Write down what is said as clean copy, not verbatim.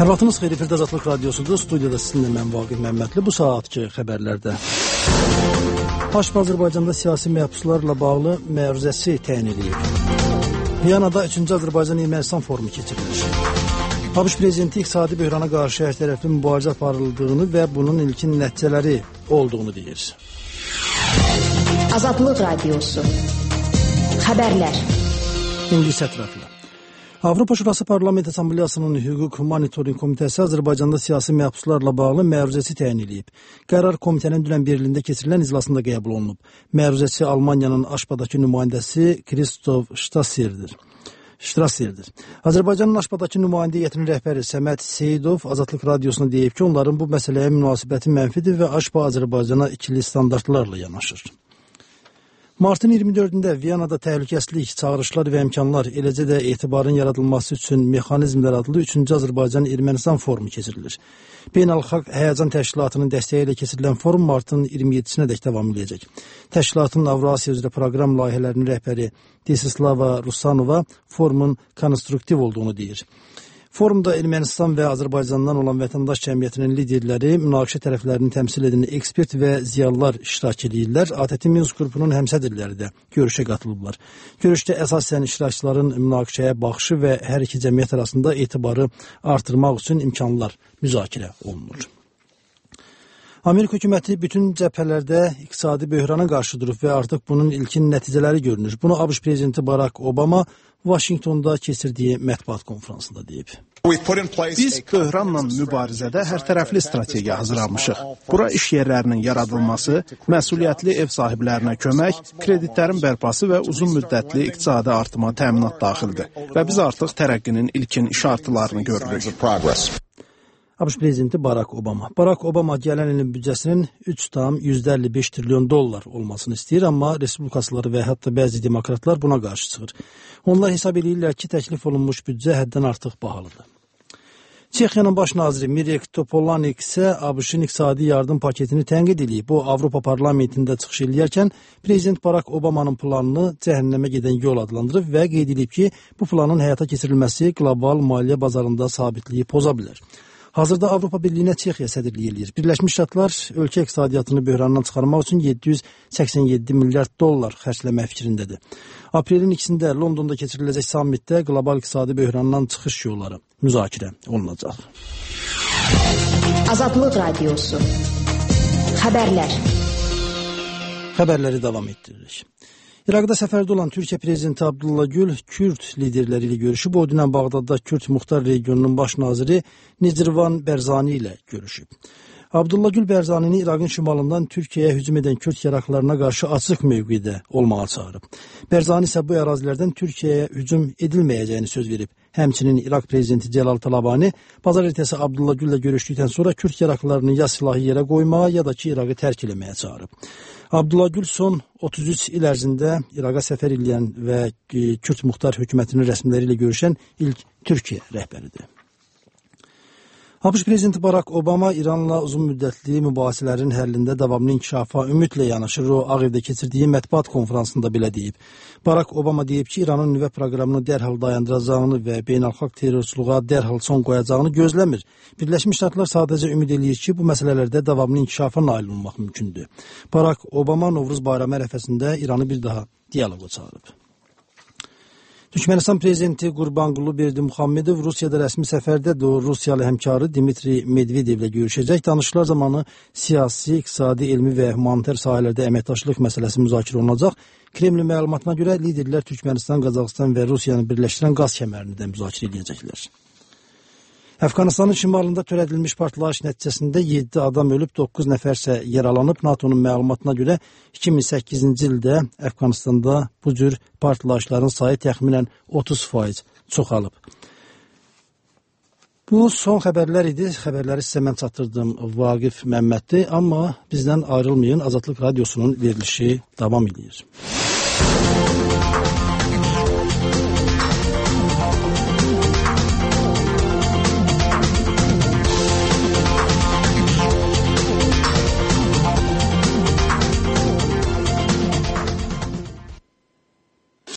Hər vaxtınız xeyir, efirdə Azadlıq Radiosudur. Studiyada sizinlə mən Vaqif Məmmədli. Bu saatki xəbərlərdə Haşb Azərbaycanda siyasi məhbuslarla bağlı məruzəsi təyin edilib. Viyanada 3-cü Azərbaycan-Ermənistan forumu keçirilir. ABŞ prezidenti iqtisadi böhrana qarşı hər tərəfli mübarizə aparıldığını və bunun ilkin nəticələri olduğunu deyir. Azadlıq Radiosu xəbərlər. İngilis ətraflı. Avropa Şurası Parlament Assambleyasının Hüquq Monitoring Komitəsi Azərbaycanda siyasi məhbuslarla bağlı məruzəsi təyin edib. Qərar komitənin dünən Berlində keçirilən iclasında qəbul olunub. Məruzəsi Almaniyanın Aşbadakı nümayəndəsi Kristof Ştrasserdir. Azərbaycanın Aşbadakı nümayəndə heyətinin rəhbəri Səməd Seyidov Azadlıq Radiosuna deyib ki, onların bu məsələyə münasibəti mənfidir və Aşba Azərbaycana ikili standartlarla yanaşır. Martın 24-də Viyanada təhlükəsizlik, çağırışlar və imkanlar, eləcə də etibarın yaradılması üçün mexanizmlər adlı 3-cü Azərbaycan-Ermənistan forumu keçirilir. Beynəlxalq Həyəcan Təşkilatının dəstəyi ilə keçirilən forum martın 27-sinə dək davam edəcək. Təşkilatın Avrasiya üzrə proqram layihələrinin rəhbəri Desislava Rusanova forumun konstruktiv olduğunu deyir. Forumda Ermənistan və Azərbaycandan olan vətəndaş cəmiyyətinin liderləri, münaqişə tərəflərini təmsil edən ekspert və ziyalılar iştirak edirlər. ATƏT Minsk qrupunun həmsədrləri də görüşə qatılıblar. Görüşdə əsasən iştirakçıların münaqişəyə baxışı və hər iki cəmiyyət arasında etibarı artırmaq üçün imkanlar müzakirə olunur. Amerika hökuməti bütün cəbhələrdə iqtisadi böhrana qarşı durub və artıq bunun ilkin nəticələri görünür. Bunu ABŞ prezidenti Barack Obama Vaşinqtonda keçirdiyi mətbuat konferansında deyib. Biz böhranla mübarizədə hər tərəfli strategiya hazırlamışıq. Bura iş yerlərinin yaradılması, məsuliyyətli ev sahiblərinə kömək, kreditlərin bərpası və uzun müddətli iqtisadi artıma təminat daxildir. Və biz artıq tərəqqinin ilkin işartılarını görürük. ABŞ prezidenti Barack Obama. Barack Obama gələn ilin büdcəsinin 3,55 trilyon dollar olmasını istəyir, amma respublikaçıları və hətta bəzi demokratlar buna qarşı çıxır. Onlar hesab edirlər ki, təklif olunmuş büdcə həddən artıq bahalıdır. Çexiyanın baş naziri Mirek Topolánek isə ABŞ-ın iqtisadi yardım paketini tənqid edib. O, Avropa parlamentində çıxış edərkən prezident Barack Obamanın planını cəhənnəmə gedən yol adlandırıb və qeyd edib ki, bu planın həyata keçirilməsi qlobal maliyyə bazarında sabitliyi poza bilər. Hazırda Avropa Birliyinə Çexiya sədrliyi eləyir. Birləşmiş Ştatlar ölkə iqtisadiyyatını böhrandan çıxarmaq üçün 787 milyard dollar xərcləmək fikrindədir. Aprelin 2-də Londonda keçiriləcək sammitdə qlobal iqtisadi böhrandan çıxış yolları müzakirə olunacaq. Azadlıq Radiosu xəbərlər. Xəbərləri davam etdiririk. İraqda səfərdə olan Türkiyə prezidenti Abdullah Gül Kürd liderləri ilə görüşüb. O, dünən Bağdadda Kürd Muxtar regionunun baş naziri Nicirvan Bərzani ilə görüşüb. Abdullah Gül Bərzanini İraqın şimalından Türkiyəyə hücum edən Kürd yaraqlarına qarşı açıq mövqedə olmağa çağırıb. Bərzani isə bu ərazilərdən Türkiyəyə hücum edilməyəcəyini söz verib. Həmçinin İraq prezidenti Cəlal Talabani bazar ertəsi Abdullah Güllə görüşdükdən sonra Kürd yaraqlarını ya silahı yerə qoymağa, ya da ki, İraqı tərk eləməyə çağırıb. Abdullah Gül son 33 il ərzində İraqa səfər edən və Kürd Muxtar hökumətinin rəsmiləri ilə görüşən ilk Türkiyə rəhbəridir. ABŞ prezidenti Barack Obama İranla uzun müddətli mübahisələrin həllində davamlı inkişafa ümidlə yanaşır. O, Ağ Evdə keçirdiyi mətbuat konferansında belə deyib. Barack Obama deyib ki, İranın nüvə proqramını dərhal dayandıracağını və beynəlxalq terrorçuluğa dərhal son qoyacağını gözləmir. Birləşmiş Ştatlar sadəcə ümid eləyir ki, bu məsələlərdə davamlı inkişafa nail olmaq mümkündür. Barack Obama Novruz bayramı ərəfəsində İranı bir daha dialoqa çağırıb. Türkmənistan prezidenti Qurbanqulu Berdimuxammedov Rusiyada rəsmi səfərdədir. O, Rusiyalı həmkarı Dmitri Medvedevlə görüşəcək. Danışıqlar zamanı siyasi, iqtisadi, elmi və humanitar sahələrdə əməkdaşlıq məsələsi müzakirə olunacaq. Kremlin məlumatına görə liderlər Türkmənistan, Qazaxıstan və Rusiyanı birləşdirən qaz kəmərini də müzakirə edəcəklər. Əfqanistanın şimalında törədilmiş partlayış nəticəsində 7 adam ölüb, 9 nəfərsə yaralanıb. NATO'nun məlumatına görə 2008-ci ildə Əfqanistanda bu cür partlayışların sayı təxminən 30% çoxalıb. Bu son xəbərlər idi. Xəbərləri sizə mən çatdırdım Vaqif Məmmədli, amma bizdən ayrılmayın. Azadlıq Radiosunun verilişi davam edir.